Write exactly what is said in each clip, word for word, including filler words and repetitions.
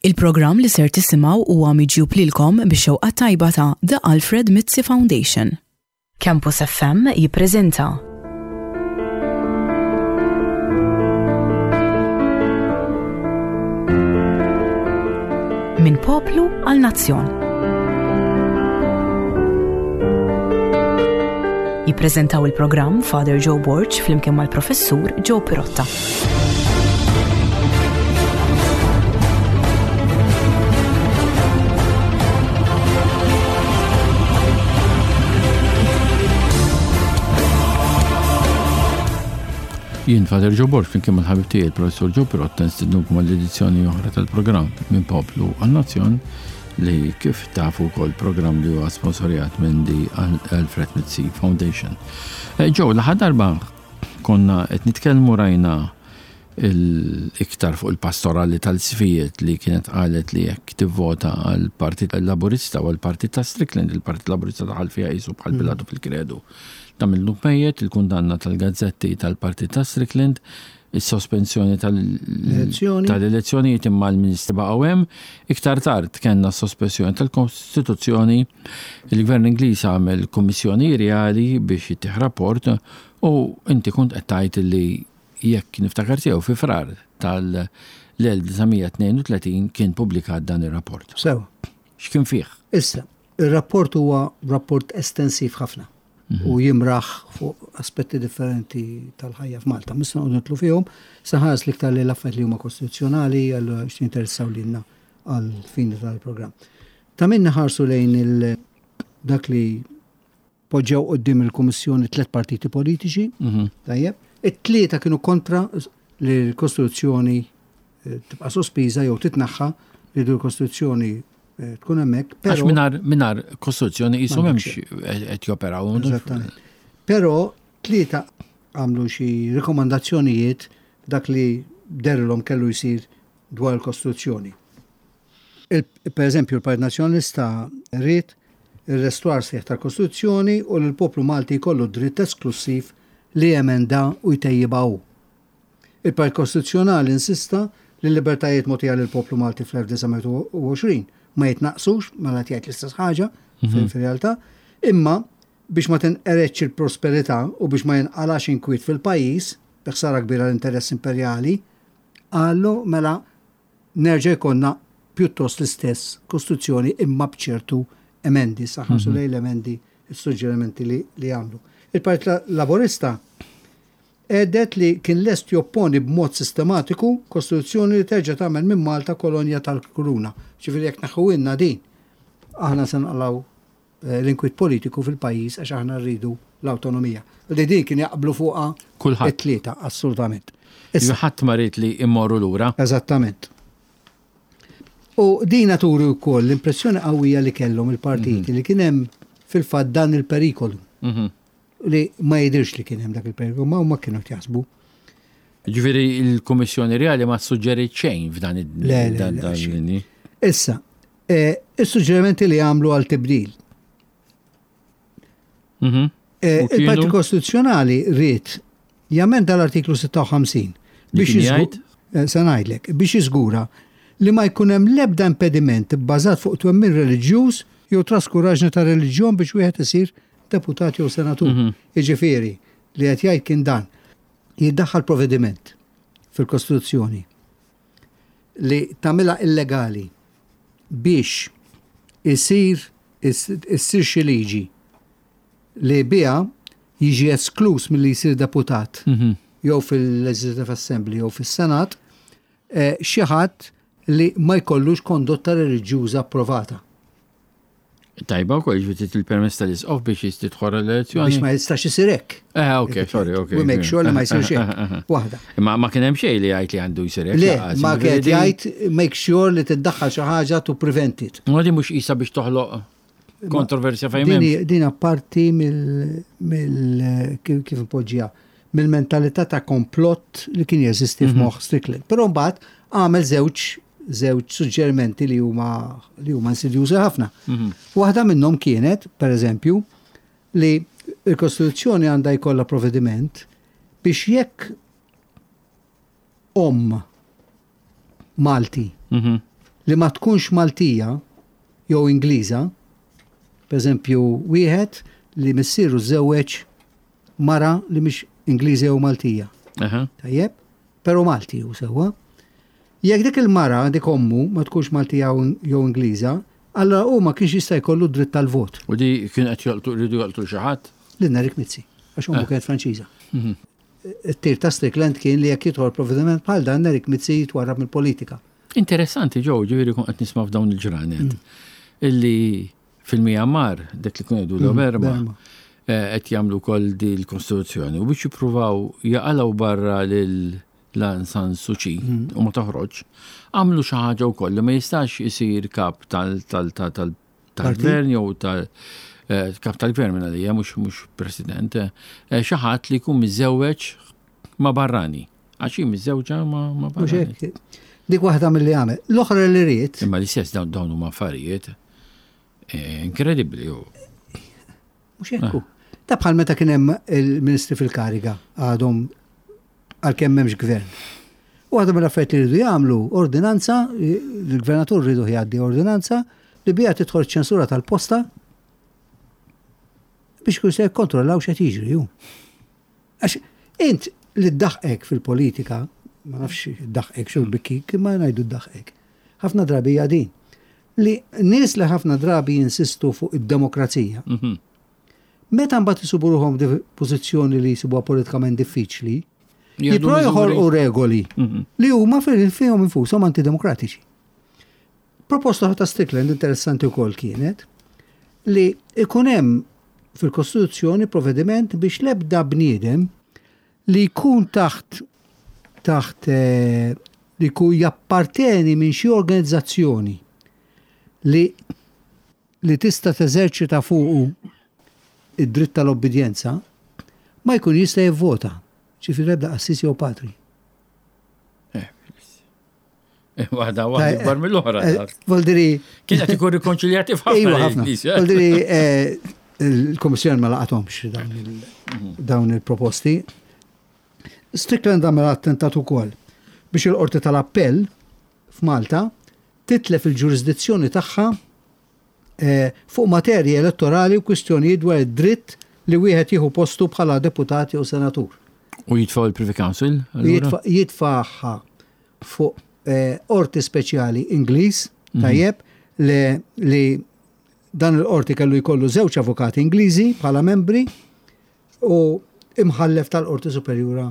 Il-programm li ser tisimgħu huwa miġjub lilkom bix-xewqa tajba ta' The Alfred Mizzi Foundation. Campus F M jippreżenta Minn Poplu għal Nazzjon. Jippreżentaw il-programm Father Joe Borg flimkien mal-Professur Joe Pirotta. Jien Father Joe Borg flimkien mal-ħabib tiegħi il-Professur Joe Pirotta nistednukom għall-edizzjoni oħra tal-programm Minn Poplu għal Nazzjon, li kif tafu wkoll programm li huwa sponsorjat minn The Alfred Mizzi Foundation. Eh, Joe, l-aħħar darba konna qed nitkellmu, rajna l-iktar fuq il-pastorali tal-isqfijiet li kienet qalet li jekk tivvota għal Partit Laburista u għal Partit ta' Strickland, il-Partit Laburista daħal fiha qisu bħal Pilatu fil-kredu. Tagħmillu mejjet, il-kundanna tal-gazzetti tal-Partit ta' Strickland, il-sospensjoni Elezzjoni. tal-elezzjonijiet, imma l-Ministri baqgħu hemm. Iktar tard kellna sospensjoni tal-Kostituzzjoni, il-Gvern Ingliż għamel kummissjoni reali biex jittih rapport u inti kont qed tgħid li, jekk niftakar sew, fi Frar tal-elf disa' mija tnejn u tletin kien publikat dan ir-rapport. Sew. X'kien fih? Issa, il-rapport huwa rapport estensiv ħafna u jimraħ fuq aspetti differenti tal-ħajja f'Malta. Mhux se noqogħdu nidħlu fihom, saħas l-iktar li l-affarijiet li huma kostituzzjonali għal x'interessaw lilna għal fini tal-programm. Ta' min ħarsu lejn il- dak li poġġew quddiem il-Kummissjoni tliet partiti politiċi, tajjeb, it-tlieta kienu kontra li l-Kostituzzjoni eh, tibqa' sospiża jew titnaħħa, li du l-Kostituzzjoni eh, tkun hemmhekk, Għax però mingħajr mingħajr kostituzzjoni qisu M'għandek m'hemmx qed joperaw. Eżattament. Però tlieta għamlu xi rekomandazzjonijiet dak li dehrilhom kellu jsir dwar il-Kostituzzjoni. Il, per eżempju, il-Partit Nazzjonalista ried il-restawr sħiħ tal-Kostituzzjoni u l-poplu Malti jkollu dritt esklusiv li jemenda u jtejjibha hu. Il-Partit Kostituzzjonali insista li l-libertajiet mogħtija lill-poplu Malti fl-elf disa' mija u għoxrin ma jitnaqsux, mela jgħid l-istess ħaġa fil-realtà, imma biex ma tinqeredx il-prosperità u biex ma jinqalax inkwiet fil-pajjiż, bi ħsara kbira l-interess imperjali, qallu mela nerġa' jkollna pjuttost l-istess kostituzzjoni imma b'ċertu emendi, saħħansu lejn l-emendi, il-suġġerimenti li, li għamlu. Il-Partit Laburista għedet li kien lest jopponi b'mod sistematiku kostituzzjoni li terġa' tagħmel minn Malta kolonja tal-Kuruna. Ġifieri jekk neħħulna din, aħna se naqlaw eh, l-inkwiet politiku fil-pajjiż għax aħna rridu l-awtonomija. Li din kien jaqblu fuqha Kulħadd. it-tlieta, assolutament. Issa ħadd ma ried li immorru lura. Eżattament. U dina turi wkoll l-impressjoni qawwija li kellhom il-partiti li kien hemm fil-fatt dan il-perikolu Mhm. li ma jidirx li kien hemm dak il-perikolu, ma huma kienu jaħsbu. Ġifieri il-Kummissjoni Reali ma suġġeriet xejn f'dan id- Le, le, dan le, dan xejn. l-linji. Issa, eh, is-suġġerimenti li għamlu għal tibdil. Mhm. Eh, U kienu? Il-Partit Kostituzzjonali ried jamenda l-artiklu sitta u ħamsin Li biex kien jiżgu- jgħid? eh, se ngħidlek, biex jiżgura li ma jkun hemm l-ebda impediment bbażat fuq twemmin reliġjuż jew traskuraġni ta' reliġjon biex wieħed isir deputat jew senatur. Mhm. Jiġifieri li qed jgħid kien dan. Jiddaħħal provvediment fil-Kostituzzjoni li tagħmilha illegali biex isir issir xi liġi li biha jiġi esklus milli jsir deputat Mhm. jew fil-Legislative Assembly jew fis-Senat eh, xi ħadd li ma jkollux kondotta reliġjuża approvata. Tajba wkoll, ġifieri il-permess tal-isqof biex tidħol l-elezzjoni. Biex ma jistax isir hekk. Eh, ok, sorry, ok. We make sure li ma jsirx hekk. Waħda. Ma ma kien hemm xejn li jgħid li għandu jsir hekk. Le, lanqas, ma ġifieri kien din- jgħid make sure li tiddaħħal xi ħaġa to prevent it. Ma di mhux qisha biex toħloq kontroversja fejn Din m'hemmx. hi- Din parti mill, mill kif kif impoġġija, mill-mentalità ta' komplott li kien jeżisti f'moħħ Strickland. Però mbagħad għamel żewġ żewġ suġġerimenti li huma li huma insidjużi ħafna. Waħda minnhom kienet, per eżempju, li l-Kostituzzjoni għandha jkollha provvediment biex jekk om Malti Mhm. li ma tkunx Maltija jew Ingliża, per eżempju, wieħed li missieru żewweġ mara li mhix Ingliża jew Maltija. Aha. Tajjeb, pero Malti hu sewwa. Jekk dik il-mara, dik ommu, ma tkunx Maltija jew Ingliża, allora hu ma kienx jista' jkollu dritt tal-vot. U di kien qed jolqtu rridu jolqtu xi ħadd? Lil Nerik Mizzi, għax ommu kienet Franċiża. It-tir ta' Strickland kien li jekk jidħol provvediment bħal dan, Nerik Mizzi jitwarrab mill-politika. Interessanti Joe, ġifieri kont qed nisma' f'dawn il-ġranet. Illi fil-Myanmar, dak li kun jgħidu l-Berma, Burma. eh, qed jagħmlu wkoll di l-Kostituzzjoni u biex jippruvaw jaqalgħu barra lil Aung San Suu Kyi u ma toħroġ, għamlu xi ħaġa wkoll li ma jistax isir kap tal tal tal tal tal-gvern jew tal eh, kap tal-gvern minn għalija mhux mhux president, eh, xi ħadd li jkun miżewweġ ma' barrani. Għax hi miżewġa ma' ma' Mhux barrani. hekk. Dik waħda mill-li għamel. L-oħra li ried, Imma l-istess dawn dawn huma affarijiet eh, inkredibbli. u- mhux hekk hu. Ta' bħal meta kien hemm il-ministri fil-kariga għadhom għalkemm m'hemmx gvern. U għadhom mill-affarijiet li rridu jagħmlu ordinanza, il-gvernatur rridu jgħaddi ordinanza li biha tidħol ċensura tal-posta biex kun se jikkontrollaw x'qed jiġri hu. Għax int li ddaħqek fil-politika, ma nafx ddaħqek xu bikkik, imma ngħidu ddaħqek. Ħafna drabi hija din. Li nies li ħafna drabi jinsistu fuq id-demokrazija. Mhm. Meta mbagħad isibu ruħhom di pożizzjoni li jsibuha politikament diffiċli, Jieħdu jipprovaw miżuri. joħolqu regoli Mhm. li huma fil- fihom infushom antidemokratiċi. Proposta ta' Strickland interessanti wkoll kienet li ikun hemm fil-Kostituzzjoni provvediment biex l-ebda bniedem li jkun taħt taħt eh, li jkun japparteni minn xi organizzazzjoni li li tista' teżerċita fuqu id-dritt tal-obbedjenza ma jkun jista' jivvota. Ġifieri ebda qassis jew patri. Eh, eh, Waħda waħda ikbar mill-oħra. Eh, Voldiri, Kien qed ikun rikonċiljati f'ħafna Iva, ħafna. il-Knisja. Voldiri, eh, il-Komissjoni ma laqathomx dawn il- dawn il-proposti. Strickland għamel attentat ukoll biex il-Qorti tal-Appell f'Malta titlef il-ġurisdizzjoni tagħha eh, fuq materji elettorali u kwistjonijiet dwar id-dritt li wieħed jieħu postu bħala deputat jew senatur. U jitfgħu il-Privy Council? allura? Jitfa- Jitfaħħa fuq eh, qorti speċjali Ingliż, tajjeb, li, li dan il-qorti kellu jkollu żewġ avukati Ingliżi bħala membri u imħallef tal-Qorti Superjura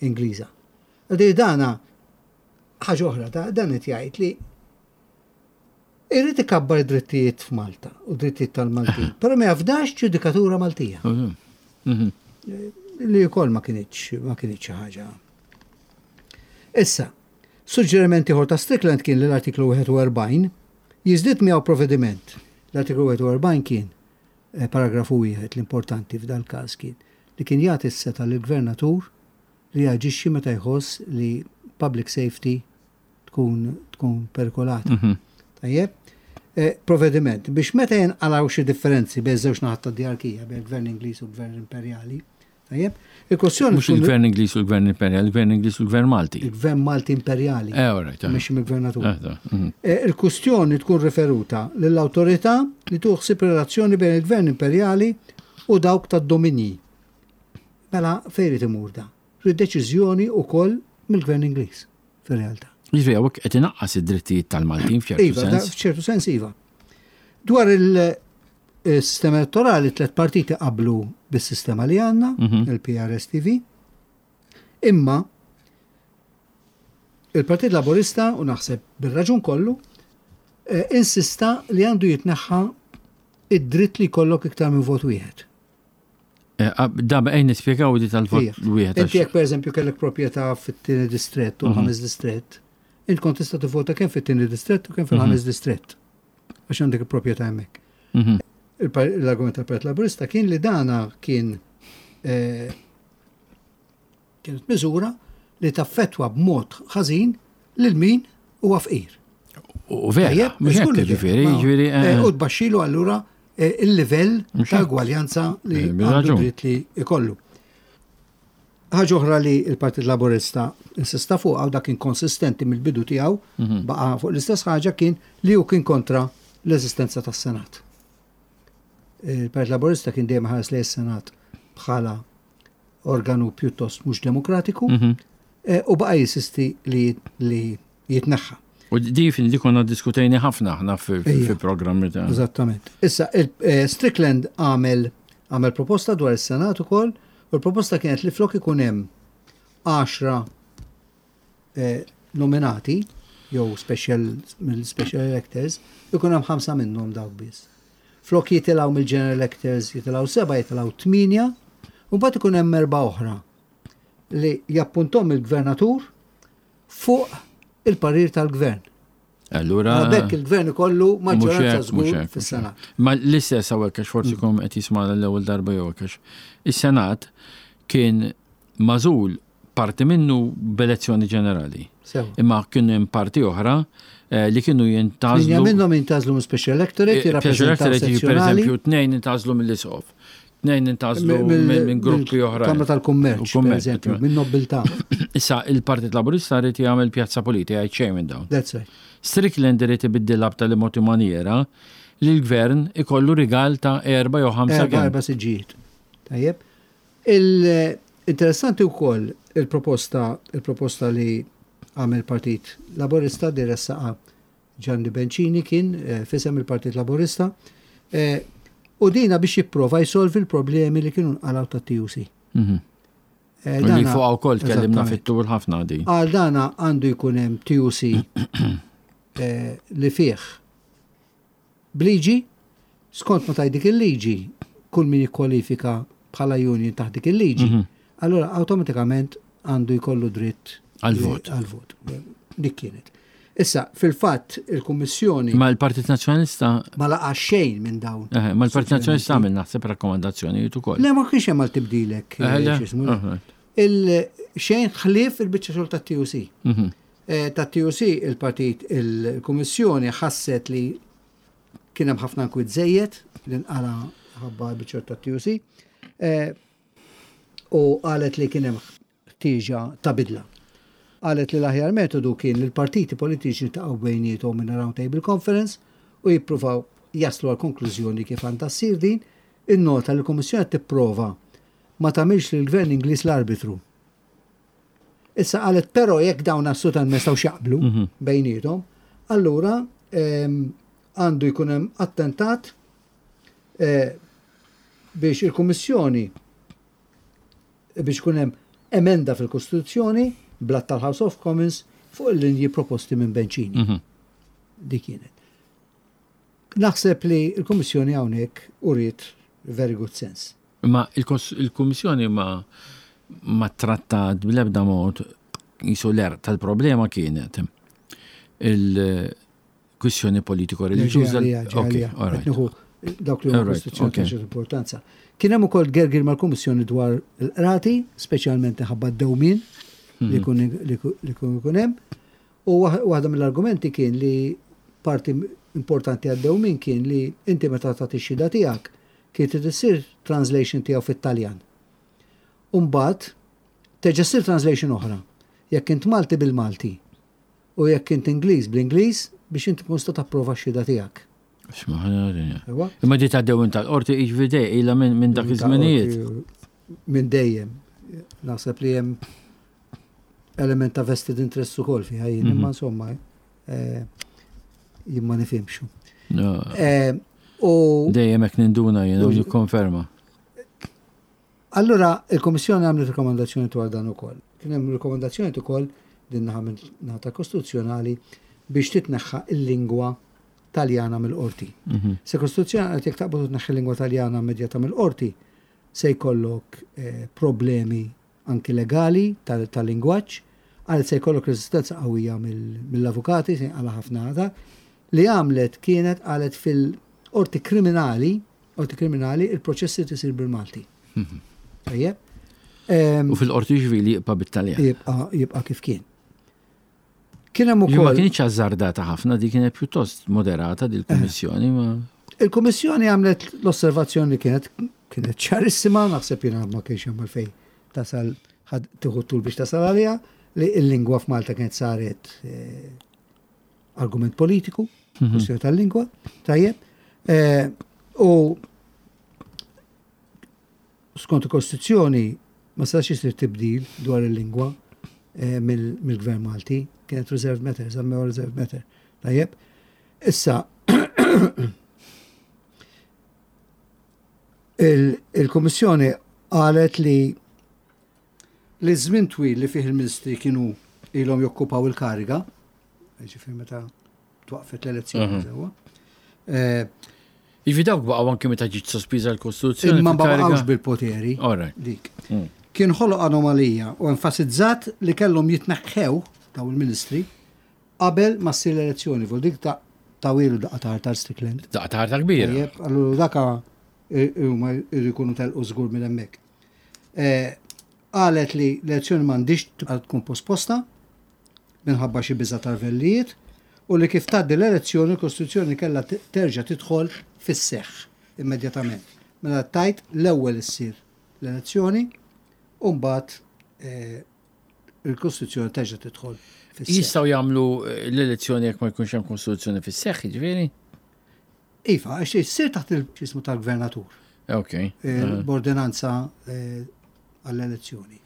Ingliża. Għadi dana ħaġa oħra, da- dan qed jgħid li irrid ikabbar id-drittijiet f'Malta u drittijiet tal-Maltin, però ma jafdax ġudikatura Maltija Mhm. Mhm. li wkoll ma kinitx ma kinitx xi ħaġa. Issa, suġġeriment ieħor ta' Strickland kien li l-artiklu wieħed u erbgħin jiżdied miegħu provvediment. L-artiklu wieħed u erbgħin kien eh, paragrafu wieħed l-importanti f'dal każ kien li kien jagħti s-setgħa lill-gvernatur li jaġixxi meta jħoss li public safety tkun tkun perikolata. Mhm. Tajjeb? Eh, provvediment biex meta jinqalgħu xi differenzi bejn żewġ naħat tad-diarkija, bejn il-Gvern Ingliż u l-Gvern Imperjali, tajjeb? Il-kwestjoni Mhux tkun il-Gvern Ingliż u l-Gvern Imperjali, il-Gvern Ingliż u l-Gvern Malti. Il-Gvern Malti Imperjali, Eh, all right. eh. mhux mill-Gvernatur. Eh, da, mhm. Eh, Il-kwestjoni tkun riferuta lill-awtorità li tuħsib relazzjoni bejn il-Gvern Imperjali u dawk tad-dominji. Mela fejn irid imur da? Rid deċiżjoni wkoll mill-Gvern Ingliż fir-realtà. Jiġifieri hawnhekk qed inaqqas id-drittijiet tal-Maltin f'ċertu Iva, da- sens. f'ċertu sens iva. Dwar il-sistema elettorali, tlet partiti qablu bis-sistema li għandna, Mhm. il-P R S T V, imma il-Partit Laburista, u naħseb bil-raġun kollu, eh, insista li għandu jitneħħa id-dritt li jkollok iktar minn vot wieħed. Eh, ah, Da ejn nispjegaw di tal-vot Ija. wieħed. Inti għax- jekk pereżempju kellek proprjetà fit-tieni distrett u Mhm. l-ħames distrett, int kont tista' tivvota kemm fit-tieni distrett u kemm fil-ħames distrett. Għax għandek il-proprjetà hemmhekk. Mhm. Il-par- L-argument tal-Partit Laburista kien li dana kien eh, kienet miżura li taffetwa b'mod ħażin lil min huwa fqir. U vera, Tajjeb, mhux żgur hekk li vera. ġifieri, Ma- ġifieri. eh, eh, U tbaxxilu allura eh, il-livell Mhux ta' hekk. ugwaljanza li Eh, għandu bil-raġun. dritt li ikollu. Ħaġa oħra li l-Partit Laburista insista fuq, u dak kien konsistenti mill-bidu tiegħu, Mhm. baqa' fuq l-istess ħaġa, kien li hu kien kontra l-eżistenza tas-Senat. Il-Partit Laburista kien dejjem ħares lejn is-Senat bħala organu pjuttost mhux demokratiku Mhm. eh, u baqa' jinsisti li, li jitneħħa. U di fin di konna diskutejni ħafna aħna fi Ejja. fi programmi ta' Eżattament. Issa, il- eh, Strickland għamel għamel proposta dwar is-Senat ukoll, u l-proposta kienet li flok ikun hemm għaxra eh, nominati jew special mill-special electors, ikun hemm ħamsa minnhom dawk biss. Flok jitilgħu mill-general electors jitilgħu seba', jitilgħu tminja, u mbagħad ikun hemm erba' oħra li jappuntom il-gvernatur fuq il-parir tal-gvern. Allura. Bekk il-gvern ikollu maġġoranza Mhux hekk, mhux żgur hekk, mhux fis-Senat. hekk. Ma l-istess hawnhekk, għax forsi kom qed jisma' l-ewwel darba jew hekk, għax is-Senat kien magħżul parti minnu b'elezzjoni ġenerali. Sewa. Imma kien hemm parti oħra eh, li kienu Linja jintgħażlu minnhom jintgħażlu minn special electorate, Eh, Special jirrappreżentaw electorate, per sezzjonali. eżempju, tnejn intgħażlu mill-isqof, tnejn intgħażlu minn minn gruppi oħra. Kamra tal-Kummerċ, U per kummerċ, eżempju, minn nobiltà. Issa il-Partit Laburista rrid jagħmel pjazza politika, jgħid xejn minn dawn. That's right. Strickland irid ibiddilha b'tali mod u maniera li l-gvern ikollu rigal ta' erba' jew ħamsa Erba' kemm. erba' siġġijiet. Tajjeb. Il-interessanti wkoll il-proposta il-proposta li għamel Partit Laburista di ressaqa Gianni Bencini kien eh, fisem il-Partit Laburista eh, u dina biex jipprova jsolvi l-problemi li kienu nqalgħu tat-T U C. Mhm. Eh, U li dana- fuq wkoll tkellimna Eżattament. fit-tul ħafna di. Għal dana għandu jkun hemm T U C eh, li fih bliġi, skont ma taj dik il-liġi, kull min jikkwalifika bħala union taħt dik il-liġi, Mhm. allora awtomatikament għandu jkollu dritt Għal-vot. Għal-vot. Dik kienet. Issa, fil-fatt, il-Kummissjoni Ma l-Partit Nazzjonalista ma laqa xejn minn dawn. eh, ma l-Partit Nazzjonalista għamel naħseb rakkomandazzjonijiet ukoll. Le, ma kienx hemm għal tibdilek. Eh, le? X'ismu. Eh, Il-xejn ħlief il-biċċa xogħol tat-T U C. mhm. Eh, Ta' T U C il-partit, il-Kummissjoni ħasset li kien hemm ħafna nkwiet żejjed li nqala ħabba biċċa tat-T U C eh, u qalet li kien hemm ħtieġa ta' bidla. Qalet li l-aħjar metodu kien li l-partiti politiċi ltaqgħu bejniethom minn round table conference u jippruvaw jaslu għal konklużjoni kif għandha ssir din. Innota li l-Kummissjoni tipprova ma tagħmilx lill gvern Ingliż l-arbitru. Issa qalet però jekk dawn assolutament ma jistgħux jaqblu Mhm. bejniethom, allura ehm, għandu jkun hemm attentat eh, biex il-Kummissjoni biex ikun hemm emenda fil-Kostituzzjoni bl-att tal-House of Commons fuq il-linji proposti minn Bencini. Mhm. Dik kienet. Naħseb li l-Kummissjoni hawnhekk uriet very good sense. Ma il-kos- il-Kummissjoni ma ma trattat bl-ebda mod jisu l tal-problema kienet il-kwistjoni politiko-reliġjuża. Ok, all right. Nieħu dawk li huma All right, kostituzzjoni okay. ta' ċertu importanza. Kien hemm ukoll gergir mal-Kummissjoni dwar il-qrati, speċjalment ħabba d-dewmien li jkun li jkun- li jkun ikun hemm. U waħ- waħda mill-argumenti kien li parti importanti għad-dewmien kien li inti meta tagħti x-xhieda tiegħek kien trid issir translation tiegħu fit-Taljan. U mbagħad terġa' ssir translation oħra. Jekk int Malti bil-Malti u jekk int Ingliż bl-Ingliż biex inti tkun tista' tapprova x-xhieda tiegħek. X'ma- Ewa? Imma di ta' dewmien tal-qorti iġvide ila minn minn dak iż-żminijiet. Minn dejjem. Naħseb li hemm element ta' vested interest ukoll fiha jien, imma insomma eh, jien ma nifhimx. No, Eh, U dejjem hekk ninduna jiena u nikkonferma. Allura il-Komissjoni għamlet rekomandazzjoni dwar dan ukoll. Kien hemm rekomandazzjoni ukoll din naħa minn naħa kostituzzjonali biex titneħħa il-lingwa Taljana mill-qorti. Mhm. Se kostituzzjoni għal jekk taqbad tneħħi l-lingwa Taljana immedjata mill-qorti se jkollok eh, problemi anki legali tal- tal-lingwaġġ, għal se jkollok resistenza qawwija mill- mill-avukati, se għala ħafna għada. Li għamlet kienet qalet fil-qorti kriminali, qorti kriminali, il-proċessi tisir bil-Malti. Tajjeb? Em, U fil-qorti ċivili jibqa' bit-Taljan. Jibqa' jibqa' kif kien. Kien hemm Li ma ukoll kienx azzardata ħafna, di kienet pjuttost moderata di l-Kummissjoni, ma Il-Kummissjoni għamlet l-osservazzjoni li kienet kienet ċarissima, naħseb jiena ma kienx hemm għalfejn tasal Ħad tieħu tul biex tasal għaliha, li l-lingwa f'Malta kienet saret eh, argument politiku, kwestjoni tal-lingwa, tajjeb. Eh, U skont il-Kostituzzjoni ma setax isir tibdil dwar il-lingwa eh, mill- mill-Gvern Malti, kienet reserved matter, żammew reserved matter. Tajjeb. Issa, il- il-Kummissjoni qalet li li żmien twil li fih il-ministri kienu ilhom jokkupaw il-kariga, ġifieri meta twaqfet l-elezzjoni Mhm. sewwa. Eh, Jiġifieri dawk baqgħu anke meta ġiet sospiża l-Kostituzzjoni. Imma ma fil-kariga? baqgħux bil-poteri All right. dik. Mm. Kien ħoloq anomalija u enfasizzat li kellhom jitneħħew daw il-ministri qabel ma ssir l-elezzjoni. Vol dik ta' tawilu daqqa ta' tar Strickland. Daqqa ta' ħarta kbira. Tajjeb, allura daka huma jridu jkunu telqu żgur minn hemmhekk. Eh, Qalet li l-elezzjoni m'għandix tibqa' tkun posposta minħabba xi biża' tal-vellijiet u li kif tgħaddi l-elezzjoni l-Kostituzzjoni kellha t- terġa' tidħol fis-seħħ immedjatament. Mela tajt l-ewwel issir l-elezzjoni u mbagħad eh, il-Kostituzzjoni terġa' tidħol fis-seħħ. Jistgħu jagħmlu eh, l-elezzjoni jekk ma jkunx hemm Kostituzzjoni fis-seħħ, jiġifieri? Iva, għax issir taħt il-ġismu tal-gvernatur. Ok. eh, b'ordinanza eh, għall-elezzjoni.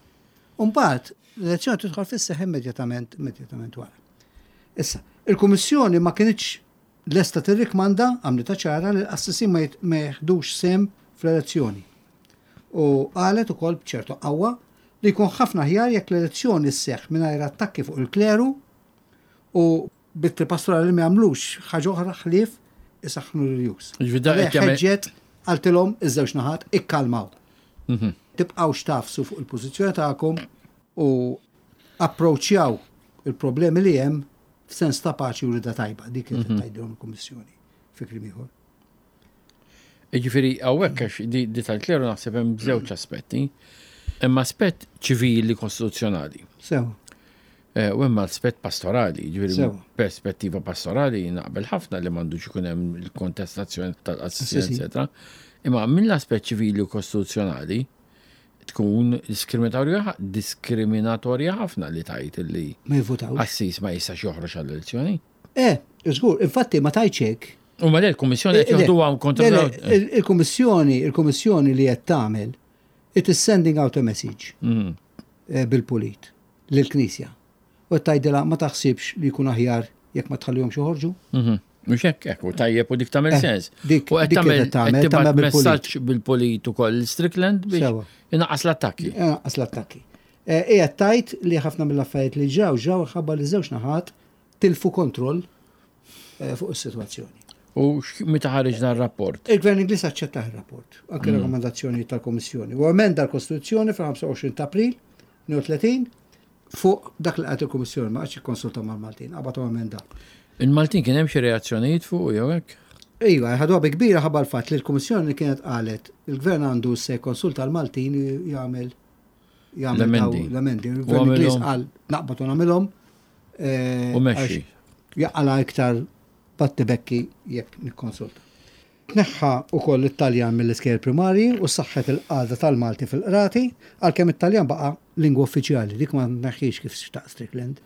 Umbagħad l-elezzjoni tidħol fis-seħħ immedjatament immedjatament wara. Issa, il-Kummissjoni ma kinitx lesta tirrikmanda għamlitha ċara li l-qassisin ma jit- ma jeħdux sehem fl-elezzjoni. U qalet ukoll b'ċertu qawwa li jkun ħafna aħjar jekk l-elezzjoni sseħħ mingħajr attakki fuq il-kleru u bit pastorali ma jagħmlux ħaġa oħra ħlief isaħħnu l-jus. Jiġifieri da qed jagħmel- Ħeġġet qaltilhom iż-żewġ naħat ikkalmaw. Mhm. Tibqgħux tafsu fuq il-pożizzjoni tagħkom u approċċjaw il-problemi li hemm f'sens ta' paċi u rida tajba. Dik kienet tgħidilhom il-Kummissjoni fi kliem ieħor. Jiġifieri hawnhekk għax di, di tal-kleru naħseb hemm żewġ aspetti. Hemm aspett ċivili kostituzzjonali. Sew, Eh, U hemm aspett pastorali, jiġifieri Sewa. perspettiva pastorali naqbel ħafna li m'għandux ikun hemm il-kontestazzjoni tal-qassisin, Qassisin. eccetera. Imma mill-aspett ċivili u kostituzzjonali tkun diskriminatorja diskriminatorja ħafna li tajt li ma jivvutawx. qassis ma jistax joħroġ għall-elezzjoni. Eh, żgur, infatti ma tajtx hekk. U ma le l-Kummissjoni qed Eh, le, joħduha kontra le, le, il- Il-Kummissjoni, il-Kummissjoni li qed tagħmel, it is sending out a message Mm. eh, bil-pulit lill-Knisja. U qed tgħidilha ma taħsibx li jkun aħjar jekk ma tħallihomx joħorġu? Mhm. Mhux hekk hekk u tajjeb u dik tagħmel Eh, sens. dik- U qed dik tagħmel qed tagħmel, qed tibgħat tagħmel bil-pulit. messaġġ bil-pulit ukoll Strickland biex Sewa. inaqqas l-attakki. Għas l-attakki. Ija tajt li ħafna mill-affarijiet li ġraw ġraw ħabba li żewġ naħat tilfu kontroll eh, fuq is-sitwazzjoni. U x- meta ħareġ dan rapport? Il-Gvern Ingliż aċċettaħ ir-rapport, anke rakkomandazzjoni tal-Kommissjoni. U emenda l-Kostituzzjoni fil-ħamsa u għoxrin ta' April tnejn u tletin fuq dak li qalt il-Kummissjoni, ma qagħadx ikkonsulta mal-Maltin, qabad u emenda. Il-Maltin kien hemm xi reazzjonijiet fuq jew hekk? Iva, ħaduha bi kbira ħabba l-fatt li l-Kummissjoni kienet qalet il-Gvern għandu se konsulta l-Maltin jagħmel jagħmel L-emendi. daw- l-emendi. U Il-Gvern Ingliż għamilhom. qal naqbad u nagħmilhom. eh, U mexxi. għax Jaqala iktar battibekki jekk nikkonsulta. Tneħħa ukoll it-Taljan mill-iskejjel primarji u saħħet il-qagħda tal-Malti fil-qrati għalkemm it-Taljan baqa' lingwa uffiċjali, dik ma tneħħiex kif xtaq Strickland.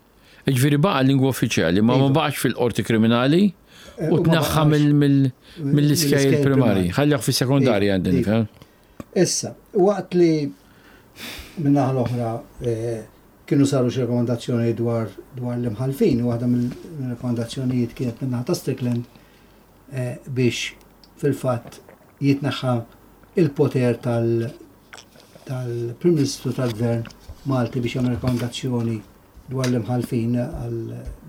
Jiġifieri baqa' lingwa uffiċjali, ma ma Iva. baqax fil-qorti kriminali Eh, u u ma tneħħa baqax mill- mill- mill-iskejjel mill-iskejjel primarji. primarji. Ħallih fis-sekondarja Iva, għandi iva. nifhem. Issa, waqt li min-naħa l-oħra eh, kienu saru xi rekomandazzjoni dwar dwar l-imħalfin, u waħda mill-rekomandazzjonijiet kienet min-naħa ta' Strickland eh, biex fil-fatt jitneħħa il-poter tal- tal-Prim Ministru tal-Gvern Malti biex jagħmel rekomandazzjoni dwar l-imħalfin għal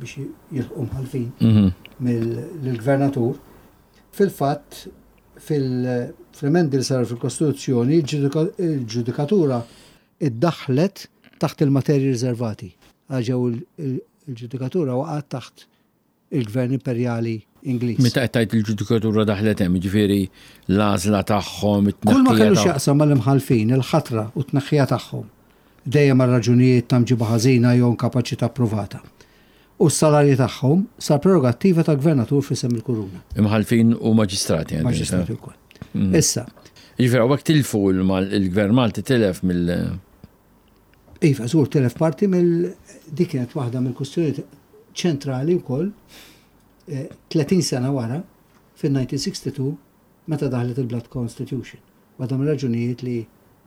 biex jilħqu mħalfin Mhm. mill-gvernatur. Fil-fatt, fil-emendi li saru fil-Kostituzzjoni, il-ġudikatura iddaħlet taħt il-materji riservati. Għal ġew il-ġudikatura waqgħet taħt il-Gvern Imperjali Ingliż. Meta qed tgħid il-ġudikatura daħlet hemm, jiġifieri l-għażla tagħhom, Kull ma it-tneħħija kellu tagħhom. x'jaqsam mal-imħalfin, il-ħatra u t-tneħħija tagħhom, dejjem għal raġunijiet ta' mġiba ħażina jew inkapaċità provata. U s-salarji tagħhom sar prerogattiva ta' gvernatur f'isem il-kuruna. Imħalfin u maġistrati. għandi Maġistrati nifhem. wkoll. Issa, Jiġifieri hawnhekk tilfu il-Mal- il-Gvern Malti tilef mill- Iva, żgur telef parti mill dik kienet waħda mill-kwistjoni ċentrali wkoll eh, tletin sena wara fil-elf disa' mija u sitta u sittin meta daħlet il-Blood Constitution. Waħda mill-raġunijiet li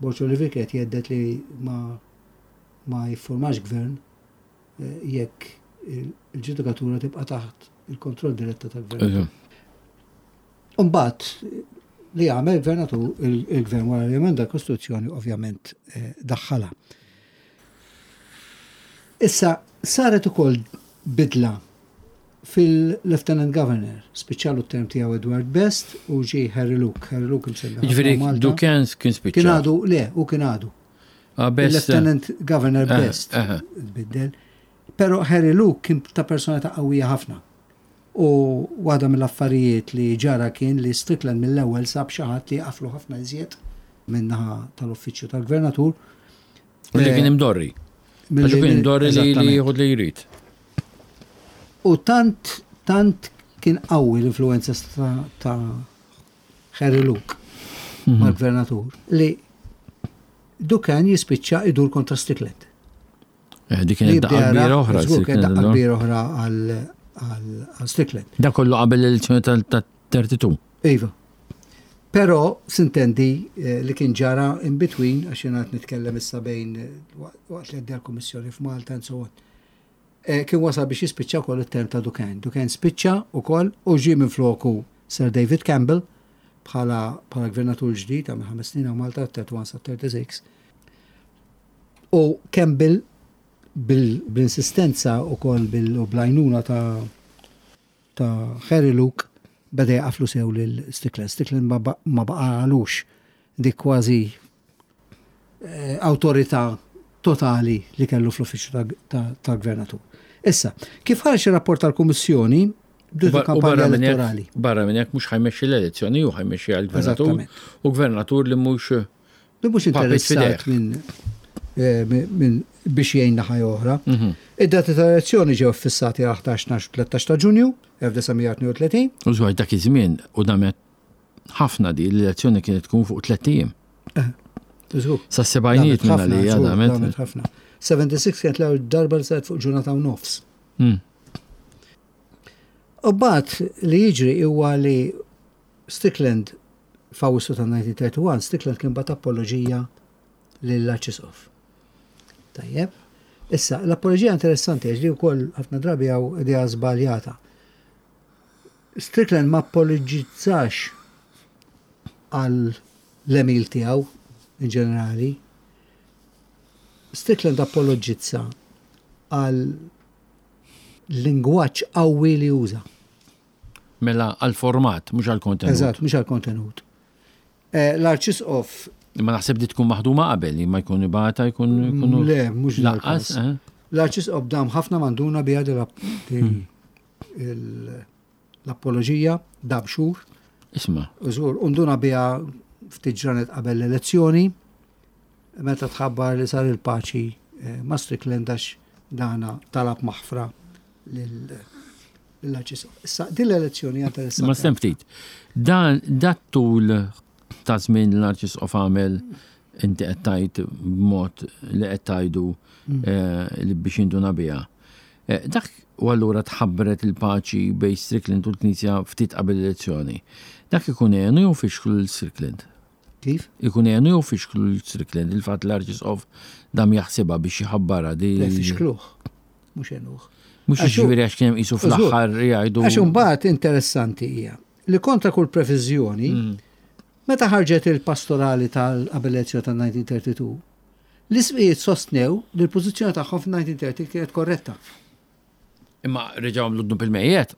Borg Olivier kienet jgħedded li ma ma jiffurmax gvern eh, jekk il-ġudikatura tibqa' taħt il-kontroll diretta tal-gvern. Umbagħad li għamel gvernatur, il-gvern wara li emenda l-Kostituzzjoni, ovvjament eh, daħħala. Issa saret ukoll bidla fil-Lieutenant Governor, spiċċalu t-term tiegħu Edward Best u ġie Harry Luke. Harry Luke imsemmi ħafna Ġifieri Malta. Duquesne kien spiċċa. Kien għadu, le, u kien għadu. Ah, Best. Il-Lieutenant Governor Eh, Best eh. tbiddel. Pero Harry Luke kien ta' personalità qawwija ħafna. U waħda mill-affarijiet li ġara kien li Strickland mill-ewwel sab xi ħadd li qaflu ħafna iżjed min-naħa tal-uffiċċju tal-gvernatur. U li Eh, kien imdorri. milli- Għax kien imdorri li li Eżattament. jieħu li jrid. U tant, tant kien qawwi l-influenza ta', ta Harry Luke Mhm. mal-gvernatur li Duquesne jispiċċa idur kontra Strickland. Eh, Dik kienet daqqa kbira oħra. Żgur kienet daqqa Strickland, no? kbira oħra għal- għal għal Strickland. Da kollu qabel l-elezzjoni tal-tnejn u tletin. Iva. Però sintendi eh, li kien ġara in between, għax jena qed nitkellem issa bejn eh, waqt li għaddi l-Kummissjoni f'Malta and so on. Eh, Kien wasal biex jispiċċa wkoll it-term ta' Duquesne. Duquesne spiċċa wkoll u ġie minn floku Sir David Campbell bħala bħala gvernatur ġdid għamel ħames snin hawn Malta, tletin sa tlieta u tletin. U Campbell bil- bil-insistenza u koll bil- u bl-għajnuna ta' ta' Harry Luke beda jaqaflu sew lil Strickland. Strickland ma ba- ma baqalux dik kważi eh, autorità totali li kellu fl-uffiċċju ta' ta- ta' gvernatur. Issa, kif ħareġ ir-rapport tal-Kummissjoni, bdiet U il-kampanja barra minn hekk- elettorali. Barra minn hekk mhux ħa jmexxi l-elezzjoni u ħa jmexxi għall-gvernatur. Eżattament. U gvernatur li mhux Li mhux Papit interessat f'idejh. minn eh, minn minn biex jgħin naħa oħra. Mhm. Id-dati tal-elezzjoni ġew fissati għal ħdax, tnax u tlettax ta' Ġunju elf disa' mija tnejn u tletin. U żwaj dak iż-żmien u damet ħafna di l-elezzjoni kienet tkun fuq tliet ijiem. Żgur. Sa sebgħinijiet Damet minn ħafna, għalija żgur, damet. damet ħafna. sebgħa u sebgħin kienet l-ewwel darba li saret fuq ġurnata u nofs. Mm. U mbagħad li jiġri huwa li Strickland f'Awwissu ta' elf disa' mija u wieħed u tletin, Strickland kien bagħat apoloġija lill-Arċisqof. Tajjeb. Issa, l-apoloġija interessanti għax li wkoll ħafna drabi hawn idea żbaljata. Strickland ma apologizzax għal l-għemil tiegħu in ġenerali. Strickland apologizza għal lingwaġġ qawwi li uża. Mela għal-format, mhux għal-kontenut. Eżatt, mhux għal kontenut. Eh, L-Arċisqof Imma naħseb di tkun maħduma qabel, li ma jkun ibata jkun jkunu. Le, mhux Lanqas, dal-każ. eh? L-Arċisqof dam ħafna ma nduna biha di l- di il- l-apoloġija, dam xhur, Isma'. Żgur, unduna biha ftit ġranet qabel l-elezzjoni, meta tħabbar li sar il-paċi eh, ma' Strickland għax dana talab maħfra lill-Arċisqof. Issa, din l-elezzjoni hija interessanti. Ma stem ftit. Dan dat tul ta' żmien l-Arċisqof għamel inti qed tgħid b'mod li qed tgħidu eh, li biex induna biha. Eh, Dak u allura tħabbret il-paċi bejn Strickland u l-Knisja ftit qabel l-elezzjoni. Dak ikun għenu jew fixklu l-Strickland? Kif? Ikun għenu jew fixklu l-Strickland il-fatt l-Arċisqof dam jaħsibha biex jħabbarha di. Le, fixkluh, mhux għenuh. Mhux Għax hu- jiġifieri għax kien hemm qisu fl-aħħar jgħidu. Għax imbagħad interessanti hija li kontra kull previżjoni, meta ħarġet il-pastorali tal-qabel elezzjoni tal-elf disa' mija u tnejn u tletin, l-isqijiet sostnew li l-pożizzjoni tagħhom f'elf disa' mija u tletin kienet korretta. Imma reġgħu għamlu dnub il-mejjet.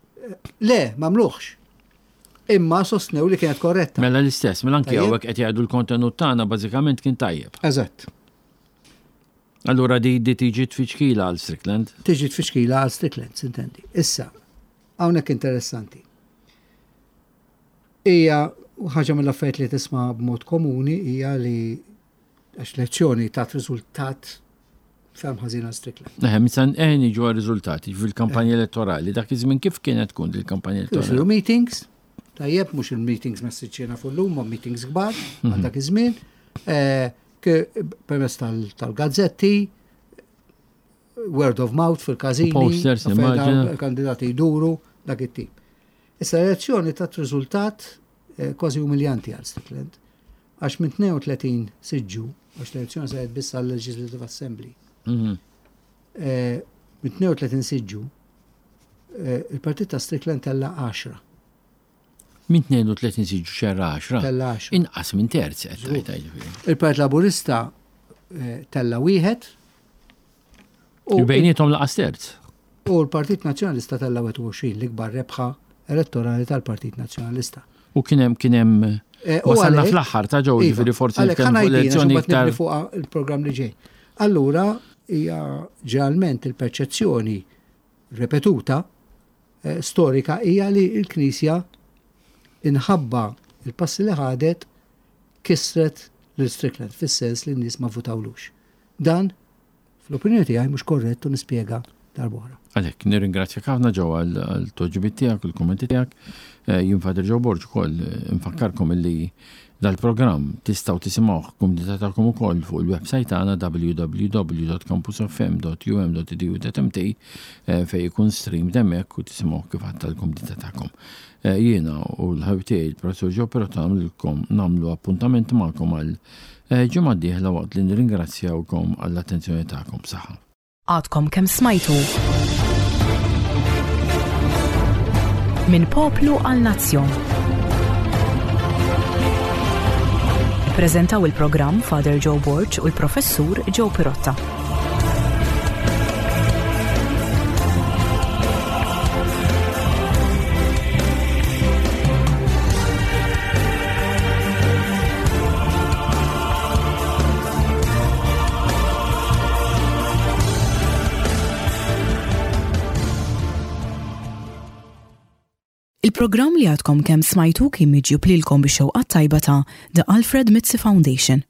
Le, m'għamluhx. Imma sostnew li kienet korretta. Mela l-istess, mela anki Tajjeb. hawnhekk qed jgħidu l-kontenut tagħna bażikament kien tajjeb. Eżatt. Allura di di tiġi tfiċkila għal Strickland. Tiġi tfixkila għal Strickland, sintendi. Issa, hawnhekk interessanti. Hija ħaġa mill-affarijiet li tisma' b'mod komuni hija li għax l-elezzjoni tat riżultat ferm ħażin għal Strickland. Eħe, misan eħe niġu għal riżultati fil-kampanja elettorali. Dak iż-żmien kif kienet tkun il-kampanja Kienu elettorali? isiru meetings, tajjeb, mhux il-meetings messiċċina fuq ma meetings kbar għal dak iż-żmien, eh, ke- permezz tal- tal-gazzetti, word of mouth fil-każini, Posters, immaġina. Kandidati jduru, dak it-tip. Issa l-elezzjoni tat riżultat eh, kważi umiljanti għal Strickland, għax minn tnejn u tletin siġġu, għax l-elezzjoni saret biss għal Legislative Assembly, Mhm. eh, minn tnejn u tletin siġġu, eh, il-partit ta' Strickland tella għaxra. Minn tnejn u tletin siġġu xerra għaxra. Tella għaxra. Inqas minn terz qed tgħid, jiġifieri. Il-Partit Laburista eh, tella wieħed. U Bejniethom lanqas terz. U l-Partit Nazzjonalista tella wieħed u għoxrin, l-ikbar rebħa elettorali tal-Partit Nazzjonalista. U kien hemm kien hemm Eh, u wasalna għalhekk- fl-aħħar ta' ġew Iva, jiġifieri forsi għalhekk nitkellmu fuq ħa ngħidina, elezzjoni xi mbagħad iktar. nibni fuq il-programm li ġej. Allura hija ġeneralment il-perċezzjoni repetuta eh, storika hija li l-Knisja inħabba il-passi li ħadet kisret lil Strickland fis-sens li n-nies ma votawlux. Dan fl-opinjoni tiegħi mhux korrett u nispjega darb'oħra. Għalhekk, nirringrazzjak ħafna ġew għal-tweġibiet tiegħek u l-kommenti tiegħek. Eh, Jien Father Joe Borg ukoll eh, nfakkarkom illi dal-programm tistgħu tisimgħuh kumdità tagħkom ukoll fuq il-website tagħna w w w punt campusfm punt u m punt e d u punt m t eh, fejn ikun stream hemmhekk u tisimgħuh kif għadt tal-kumdità tagħkom. Eh, Jiena u l-ħabib tiegħi il-Professur Joe Pirotta nagħmlilkom nagħmlu appuntament magħkom għal eh, ġimgħa d-dieħla waqt li nirringrazzjawkom għall-attenzjoni tagħkom. Saħħa. Għadkom kemm smajtu Minn Poplu għal Nazzjon. Prezentaw il-programm Father Joe Borg u l-Professur Joe Pirotta. Il-programm li għadkom kemm smajtu kien miġjub lilkom bix-xewqa tajba ta' The Alfred Mizzi Foundation.